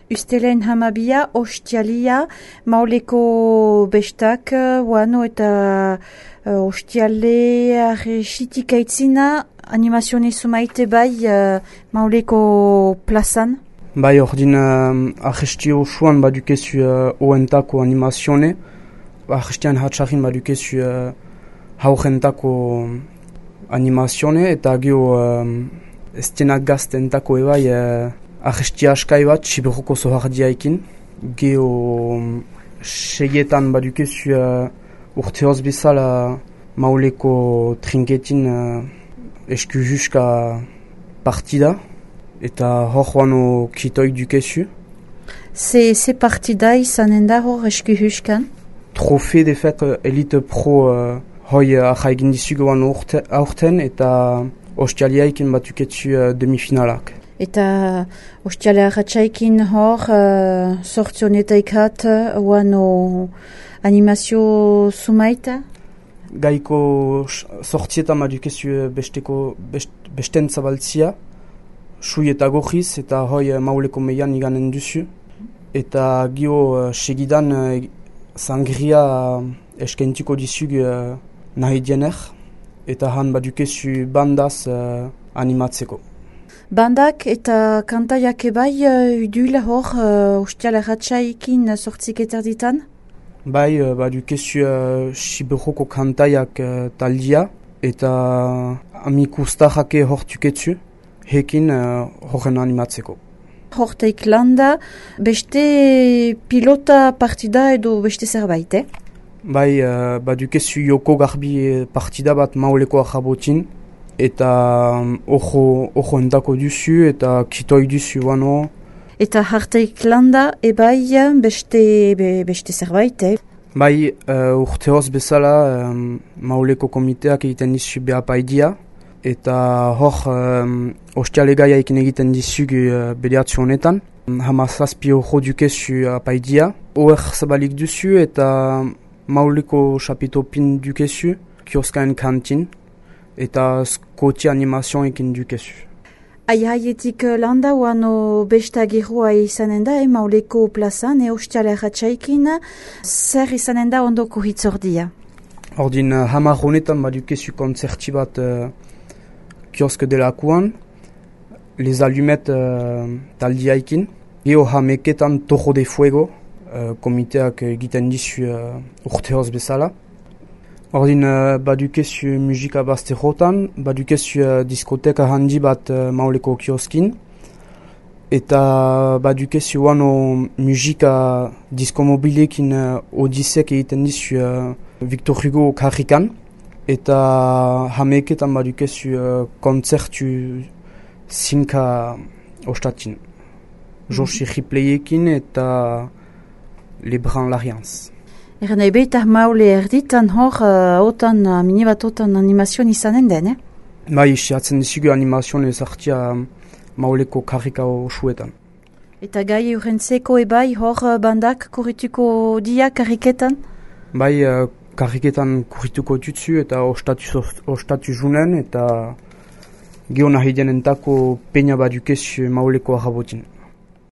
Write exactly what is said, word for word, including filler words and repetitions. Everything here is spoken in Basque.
Ustelen hamabia, ostialia, mauleko bestak, wano eta uh, ostiale arresitik aitzina, animazione sumaite bai uh, mauleko plazan? Bai, ordin uh, arrestio suan badukezu uh, oentako animazione, arrestian hatxarin badukezu uh, haurentako animazione, eta gio uh, estenak gaztentako ebai uh, arrestia askai bat, siberoko zohardiaikin. Geo um, seietan badukezu uh, urteoz bezala mauleko trinketin uh, eskujuska partida, eta hor wano kitoik dukezu. Ze, ze partida izanen da hor eskujuskan? Trofe defet uh, Elite Pro uh, hoi uh, ahaigin dizugu wano aurten, eta ostialiaikin batuketzu uh, demifinalak. Eta ostiale arratsaikin hor, uh, sortzionetaik hat, wano animazio sumaita? Gaiko sortzietan badukezu besteko best, besten zabaltzia, sui eta gojiz, eta hoi mauleko meian iganen duzu. Eta gio uh, segidan uh, sangria uh, eskentiko dizug uh, nahi diener, eta han badukezu bandaz uh, animatzeko. Bandak eta kantaiak ebai uh, uduila hor uh, ostiale ratxaikin sortzik eterditan? Bai, uh, badukezu uh, siberoko kantaiak uh, taldia, eta amikustajake hortuketzu, hekin uh, horren animatzeko. Horteik landa, beste pilota partida edo beste zerbait, eh? Bai, uh, badukezu joko garbi partida bat mauleko ahabotin, eta ojo, ojo entako duzu, eta kitoi duzu wano. Eta harteik landa, ebai beste, be, beste zerbait, eh? Bai, uh, urteoz bezala um, mauleko komiteak egiten dizu behapaidia, eta hor um, ostialegaia ekin egiten dizugu uh, bediatzu honetan. Hamazazpi ojo dukezu apaidia. Oer zabalik duzu eta mauleko chapitopin dukezu, kioskaen kantin, eta skoti animazion ekin dukezu. Aihaietik landa wano besta gerua izanen da, eh, mauleko plazan, e ostiale ratxaikin, zer izanen da ondoko hitzordia? Ordin uh, hamar honetan badukezu konzerti bat uh, kiosk delakuan, les allumettes uh, taldiaikin, geo hameketan Tojo de Fuego, uh, komiteak egiten dizu uh, urteoz bezala. Ordin uh, badukezu musika bazterrotan, badukezu uh, diskoteka handi bat uh, mauleko kioskin, eta badukezu wano musika diskomobilekin uh, odisek egiten dizu uh, Victor Hugo karrikan, eta hameketan badukezu uh, kontzertu zinka ostatin. Mm-hmm. Joshi Ripleyekin eta Lebran Larianz. Eran ebe eta maule erditan hor, uh, otan, uh, mini bat otan animazion izanen den, eh? Bai, isiatzen dizugu animazion ezartia mauleko karrika osuetan. Eta gai eurentzeko ebai hor uh, bandak kurrituko dia karriketan? Bai, uh, karriketan kurrituko tutsu eta ostatu, ostatu junen, eta geho nahi denentako peina badukezu mauleko ahabotin.